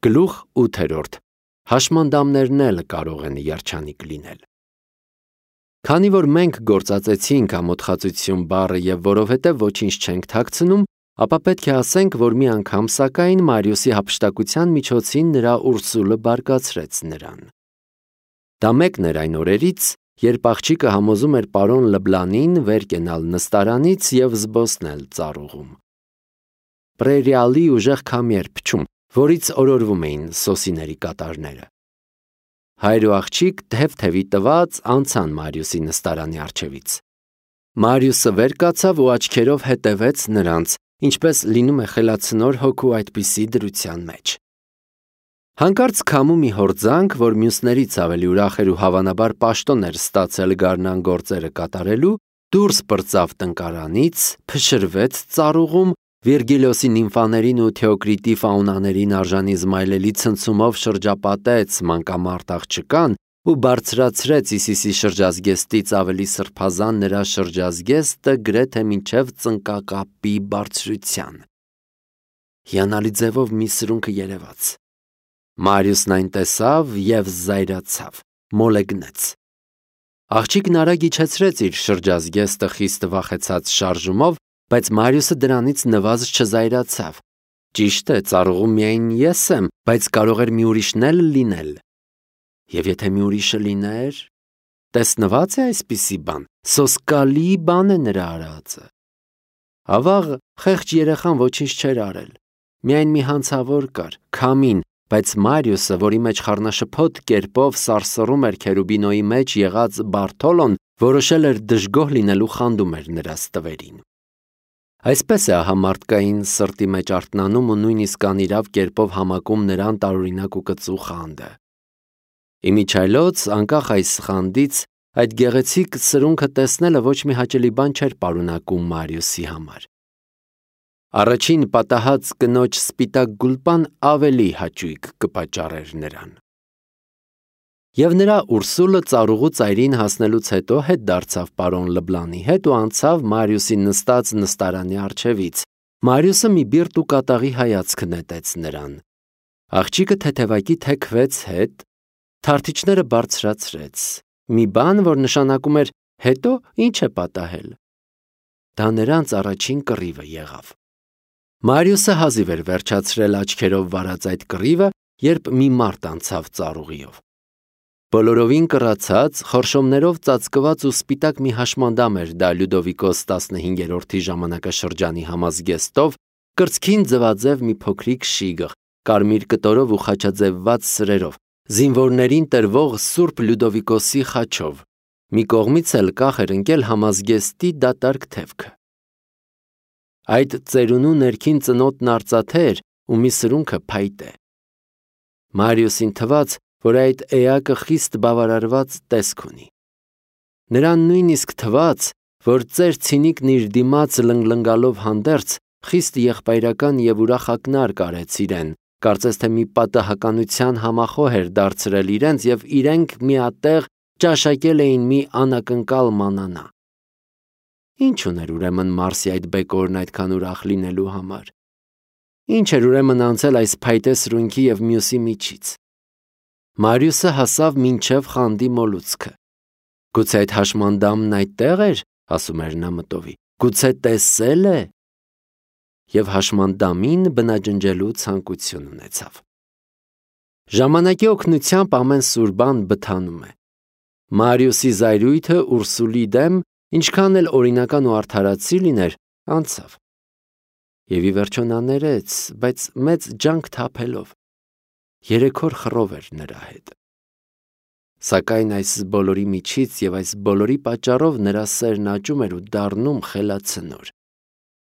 Գլուխ 8. Հաշմանդամներն էլ կարող են երջանիկ լինել։ Քանի որ մենք գործածեցինք ամոթխածություն բառը եւ որովհետեւ ոչինչ չենք թաքցնում, ապա պետք է ասենք, որ մի անգամ սակայն Մարիուսի հափշտակության միջոցին նրա Ուրսուլը բարկացրեց նրան։ Դա մեկն էր այն օրերից, երբ աղջիկը համոզում էր պարոն Լբլանին վեր կենալ նստարանից եւ զբոսնել ծառուղում։ Պրերիալի ուժեղ քամի էր փչում, որից օրորվում էին սոսիների կատարները։ Հայր ու աղջիկ թև-թևի տված անցան Մարիուսի նստարանի առջևից։ Մարիուսը վեր կացավ ու աչքերով հետևեց նրանց, ինչպես լինում է խելացնոր հոգու այդպիսի դրության մեջ։ Հանկարծ քամու մի հորձանք, որ մյուսներից ավելի ուրախ էր ու հավանաբար պաշտոն էր ստացել գարնան գործերը կատարելու, դուրս պրծավ տնկարանից, փշրվեց ծառուղում, Վիրգիլիոսի նիմֆաներին ու Թեոկրիտի ֆաունաներին արժանի զմայլելի ցնցումով շրջապատեց մանկամարտ աղջկան ու բարձրացրեց Իսիսի շրջազգեստից ավելի սրբազան նրա շրջազգեստը գրեթե մինչև ծնկակապի բարձրության։ Հիանալի ձևով մի սրունքը երևաց։ Մարիուսն այն տեսավ և զայրացավ, մոլեգնեց։ Աղջիկն արագ իջեցրեց իր շրջազգեստը խիստ վախեցած շարժումով, բայց Մարիուսը դրանից նվազ չզայրացավ։ Ճիշտ է, ծառուղում միայն ես եմ, բայց կարող էր մի ուրիշն էլ լինել։ Եվ եթե մի ուրիշը լիներ, տեսնված է այսպիսի բան, սոսկալի բան է նրա արածը։ Ավաղ խեղճ երեխան ոչինչ չէր արել։ Միայն մի հանցավոր կար, քամին, բայց Մարիուսը, որի մեջ խառնաշփոթ կերպով սարսռում էր Քերուբինոյի մեջ եղած Բարթոլոն, որոշել էր դժգոհ լինելու խանդում էր նրա ստվերին։ Այսպես է ահա մարդկային սրտի մեջ արթնանում ու նույնիսկ անիրավ կերպով համակում նրան տարօրինակ ու կծու խանդը։ Իմիջայլոց, անկախ այս խանդից, այդ գեղեցիկ սրունքը տեսնելը ոչ մի հաճելի բան չէր պարունակում Մարիուսի համար։ Առաջին պատահած կնոջ սպիտակ գուլպան ավելի հաճույք կպատճառեր նրան։ Եվ նրա Ուրսուլը ծառուղու ծայրին հասնելուց հետո հետ դարձավ պարոն Լբլանի հետ ու անցավ Մարիուսի նստած նստարանի առջևից։ Մարիուսը մի բիրտ ու կատաղի հայացք նետեց նրան։ Աղջիկը թեթևակի թեքվեց հետ, թարթիչները բարձրացրեց։ Մի բան, որ նշանակում էր հետո ինչ է պատահել։ Դա նրանց առաջին կռիվը եղավ։ Մարիուսը հազիվ էր վերջացրել աչքերով վարած այդ կռիվը, երբ մի մարդ անցավ ծառուղիով։ Բոլորովին կռացած, խորշոմներով ծածկված ու սպիտակ մի հաշմանդամ էր դա Լյուդովիկոս 15-րդի ժամանակաշրջանի համազգեստով, կրծքին ձվաձև մի փոքրիկ շիգ, կարմիր կտորով ու խաչաձևված սրերով, զինվորներին տրվող Սուրբ Լյուդովիկոսի խաչով։ Մի կողմից էլ կախ էր ընկել համազգեստի դատարկ թևքը։ Այդ ծերունու ներքին ծնոտն արծաթե էր ու մի սրունքը փայտե։ Մարիուսին թվաց, որ այդ էակը խիստ բավարարված տեսք ունի։ Նրան նույնիսկ թվաց, որ ծեր ցինիկն իր դիմաց լնգլնգալով հանդերձ խիստ եղբայրական և ուրախ ակնարկ արեց իրեն, կարծես թե մի պատահականության համախոհ էր դարձրել իրենց և իրենք միատեղ ճաշակել էին մի անակնկալ մանանա։ Ինչ ուներ ուրեմն Մարսի այդ բեկորն այդքան ուրախ լինելու համար։ Ինչ էր ուրեմն անցել այս փայտե սրունքի և մյուսի միջից։ Մարիուսը հասավ մինչև խանդի մոլուցքը։ Գուցե այդ հաշմանդամն այդտեղ էր, ասում էր նա մտովի, գուցե տեսել է։ Եվ հաշմանդամին բնաջնջելու ցանկություն ունեցավ։ Ժամանակի օգնությամբ ամեն սուր բան բթանում է։ Մարիուսի զայրույթը Ուրսուլի դեմ, ինչքան էլ օրինական ու արդարացի լիներ, անցավ։ Եվ ի վերջո նա ներեց, բայց մեծ ջանք թափելով։ 3 օր խռով էր նրա հետ։ Սակայն այս բոլորի միջից և այս բոլորի պատճառով նրա սերն աճում էր ու դառնում խելացնոր։